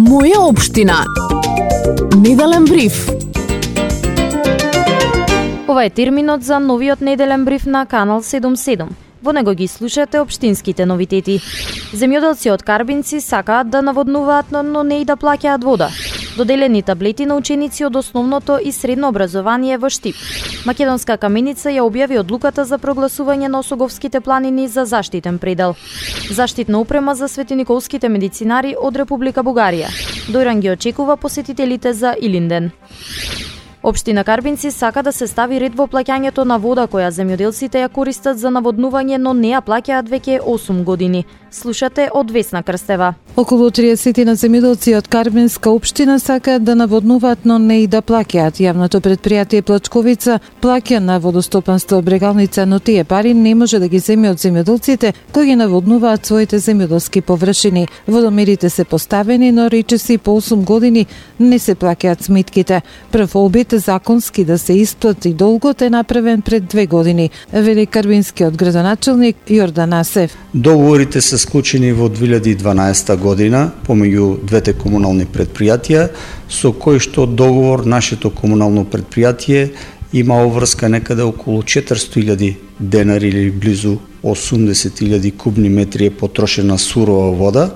Моја општина. Неделен бриф. Ова е терминот за новиот неделен бриф на Канал 77. Во него ги слушате општинските новитети. Земјоделци од Карбинци сакаат да наводнуваат, но не и да плаќаат вода. Доделени таблети на ученици од основното и средно образование во Штип. Македонска каменица ја објави одлуката за прогласување на Осоговските планини за заштитен предел. Заштитна опрема за светениколските медицинари од Република Бугарија. Дојран ги очекува посетителите за Илинден. Општина Карбинци сака да се стави ред во плаќањето на вода која земјоделците ја користат за наводнување, но не ја плаќаат веќе 8 години. Слушате од Весна Крстева. Околу 30 на земјоделци од Карбинска општина сакаат да наводнуваат, но не и да плаќаат. Јавното предпријатие Плачковица плаќа на водостопанство Брегалница, но тие пари не може да ги земе од земјоделците кои ги наводнуваат своите земјоделски површини. Водомерите се поставени, но речиси по 8 години не се плаќаат сметките. Прв обид законски да се исплати долгот е направен пред 2 години, вели карбинскиот градоначелник Јордан Асев. Договорите се склучени во 2012 година помеѓу двете комунални предпријатија, со кој што договор нашето комунално предпријатие има обврска некаде околу 400.000 денари или близу 80.000 кубни метри е потрошена сурова вода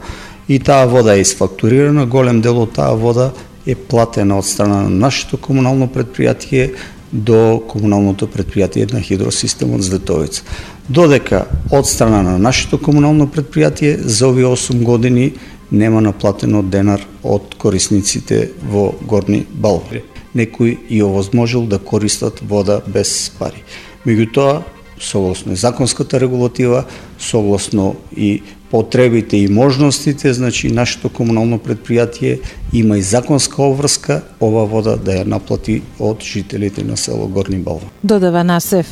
и таа вода е изфактурирана, голем дел од таа вода е платена од страна на нашето комунално предпријатие до комуналното предпријатие на хидросистемот Зветовица. Додека од страна на нашето комунално предпријатие за овие 8 години нема наплатено денар од корисниците во Горни Балвари. Некој и овозможил да користат вода без пари. Меѓутоа, согласно законската регулатива, согласно и потребите и можностите, значи нашето комунално предпријатие има и законска обврска ова вода да ја наплати од жителите на село Горни Балва. Додава Насев.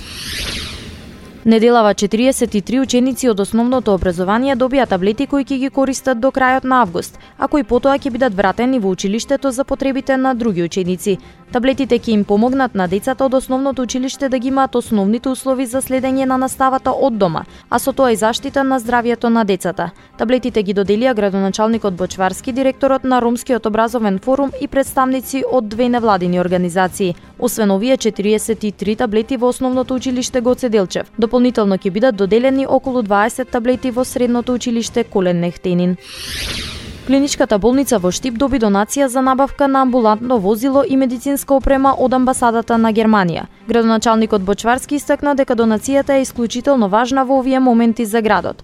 Неделава 43 ученици од основното образование добија таблети кои ќе ги користат до крајот на август, а кои потоа ќе бидат вратени во училиштето за потребите на други ученици. Таблетите ќе им помогнат на децата од основното училиште да ги имаат основните услови за следење на наставата од дома, а со тоа и заштита на здравјето на децата. Таблетите ги доделија градоначалникот Бочварски, директорот на Ромскиот образовен форум и представници од две невладини организации. Освен овие 43 таблети во основното училиште Гоце Делчев, дополнително ќе бидат доделени околу 20 таблети во средното училиште Колен Нехтенин. Клиничката болница во Штип доби донација за набавка на амбулантно возило и медицинска опрема од амбасадата на Германија. Градоначалникот Бочварски истакна дека донацијата е исклучително важна во овие моменти за градот.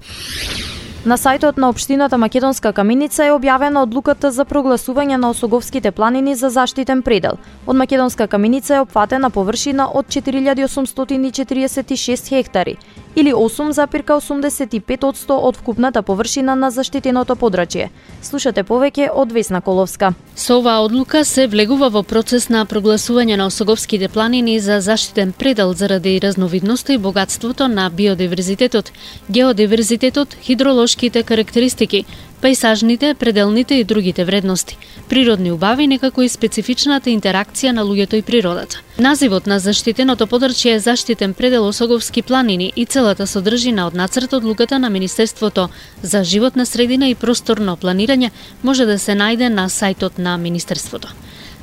На сајтот на општината Македонска каменица е објавена одлуката за прогласување на Осоговските планини за заштитен предел. Од Македонска каменица е опфатена површина од 4846 хектари, или 8,85% од вкупната површина на заштитеното подрачје. Слушате повеќе од Весна Коловска. Со оваа одлука се влегува во процес на прогласување на Осоговските планини за заштитен предел заради разновидноста и богатството на биодиверзитетот, геодиверзитетот, хидролошките карактеристики, пајсажните, пределните и другите вредности, природни убави, некако и специфичната интеракција на луѓето и природата. Називот на заштитеното подрачје е заштитен предел Осоговски планини и целата содржина од нацрт одлуката на Министерството за животна средина и просторно планирање може да се најде на сајтот на Министерството.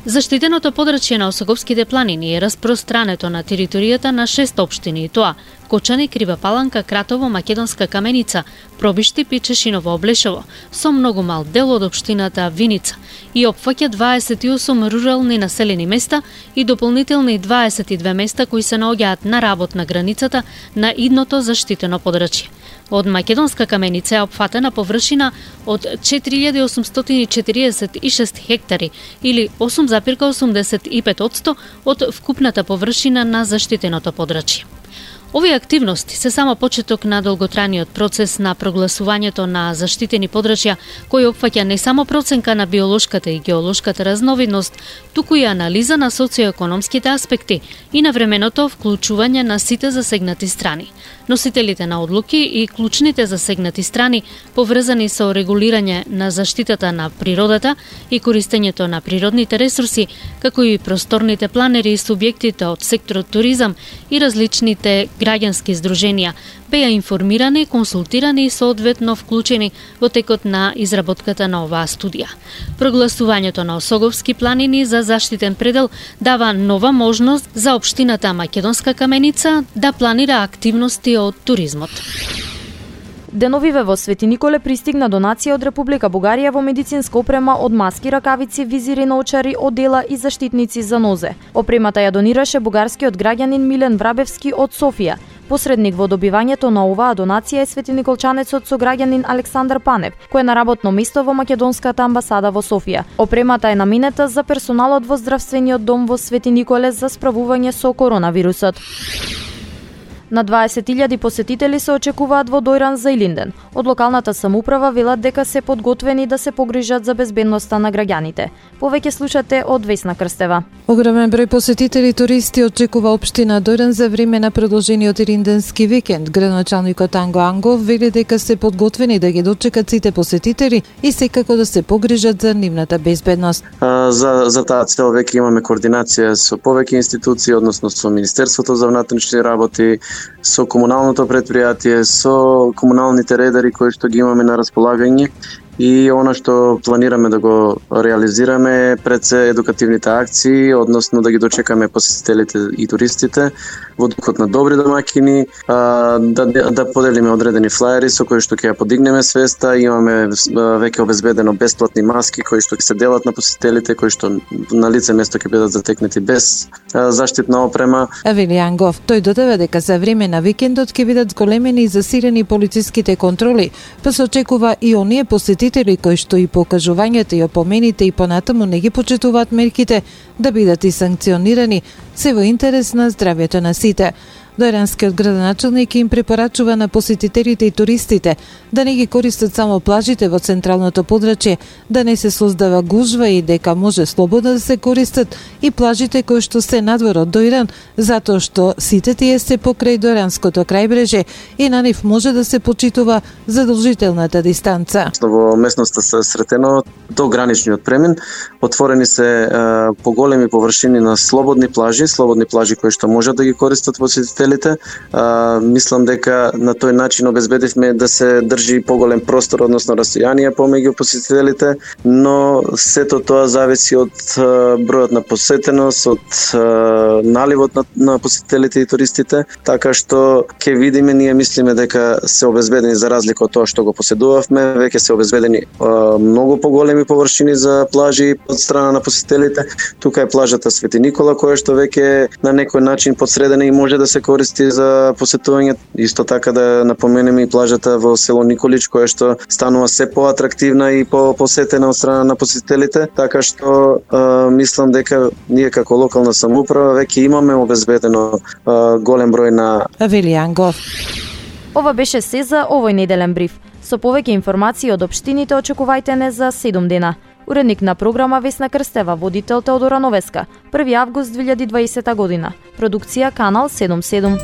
Заштитеното подрачје на Осоговските планини е распространето на територијата на 6 општини, и тоа Кочани, Крива Паланка, Кратово, Македонска каменица, Пробиштип и Чешиново Облешево, со многу мал дел од општината Виница и опфаќа 28 рурални населени места и дополнителни 22 места кои се наоѓаат на работ на границата на идното заштитено подрачје. Од Македонска каменица е опфатена површина од 4846 хектари или 8,85% од вкупната површина на заштитеното подрачје. Овие активности се само почеток на долготрајниот процес на прогласувањето на заштитени подрачја, кој опфаќа не само проценка на биолошката и геолошката разновидност, туку и анализа на социоекономските аспекти и на временото вклучување на сите засегнати страни. Носителите на одлуки и клучните засегнати страни, поврзани со регулирање на заштитата на природата и користењето на природните ресурси, како и просторните планери и субјектите од секторот туризам и различните граѓански здруженија, беа информирани, консултирани и соодветно вклучени во текот на изработката на оваа студија. Прогласувањето на Осоговски планини за заштитен предел дава нова можност за општината Македонска Каменица да планира активности од туризмот. Деновиве во Свети Николе пристигна донација од Република Бугарија во медицинска опрема од маски, ракавици, визири, наочари, одела и заштитници за нозе. Опремата ја донираше бугарскиот граѓанин Милен Врабевски од Софија. Посредник во добивањето на оваа донација е светиниколчанецот сограѓанин Александар Панев, кој е на работно место во Македонската амбасада во Софија. Опремата е наменета за персоналот во здравствениот дом во Свети Николе за справување со коронавирусот. На 20.000 посетители се очекуваат во Дојран за Илинден. Од локалната самоуправа велат дека се подготвени да се погрижат за безбедноста на граѓаните. Повеќе слушате од Весна Крстева. Огромен број посетители и туристи очекува општина Дојран за време на продолжениот илинденски викенд. Градоначалникот Анго Ангов вели дека се подготвени да ги дочекат сите посетители и секако да се погрижат за нивната безбедност. За таа цел веќе имаме координација со повеќе институции, односно со Министерството за внатрешни работи, со комуналното предпријатие, со комуналните редари кои што ги имаме на располагање. И она што планираме да го реализираме пред се едукативните акции, односно да ги дочекаме посетителите и туристите во духот на добри домаќини, да поделиме одредени флаери со кои што ќе ја подигнеме свеста. Имаме веќе обезбедено бесплатни маски кои што ќе се делат на посетителите, кои што на лице место ќе бидат затекнати без заштитна опрема. Вели Ангов, тој додава дека за време на викендот ќе бидат зголемени и засилени полициските контроли, па се очекува и оние посетители кои што и по кажувањата и опомените и понатаму не ги почитуваат мерките да бидат и санкционирани, се во интерес на здравјето на сите. Дојранскиот градоначалник им препорачува на посетителите и туристите да не ги користат само плажите во централното подрачје, да не се создава гужва и дека може слободно да се користат и плажите кои што се надвор од Дојран, затоа што сите тие се покрај Дојранското крајбрежје и на нив може да се почитува задолжителната дистанца. Во местноста се сретено до граничниот премин, отворени се поголеми површини на слободни плажи кои што можат да ги користат посетителите. Мислам дека на тој начин обезбедивме да се држи поголем простор, односно расстојание помеѓу посетителите, но сето тоа зависи од бројот на посетеност, од наливот на посетителите и туристите, така што ќе видиме, ние мислиме дека се обезбедени за разлика од тоа што го поседувавме, веќе се обезбедени многу поголеми површини за плажи од страна на посетителите. Тука е плажата Свети Никола која што веќе на некој начин подсредена и може да се користи за посетување. Исто така да напоменеме и плажата во село Николич која што станува се поатрактивна и посетена од страна на посетителите, така што мислам дека ние како локална самоуправа веќе имаме обезбедено голем број на Вели Ангов. Ова беше се за овој неделен бриф. Со повеќе информации од општините очекувајте не за 7 дена. Уредник на програма Весна Крстева, водител Теодора Новеска, 1 август 2020 година. Продукција Канал 77.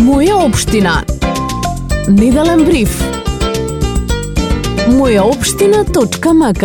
Моја општина. Неделен бриф. Мојаопштина.мк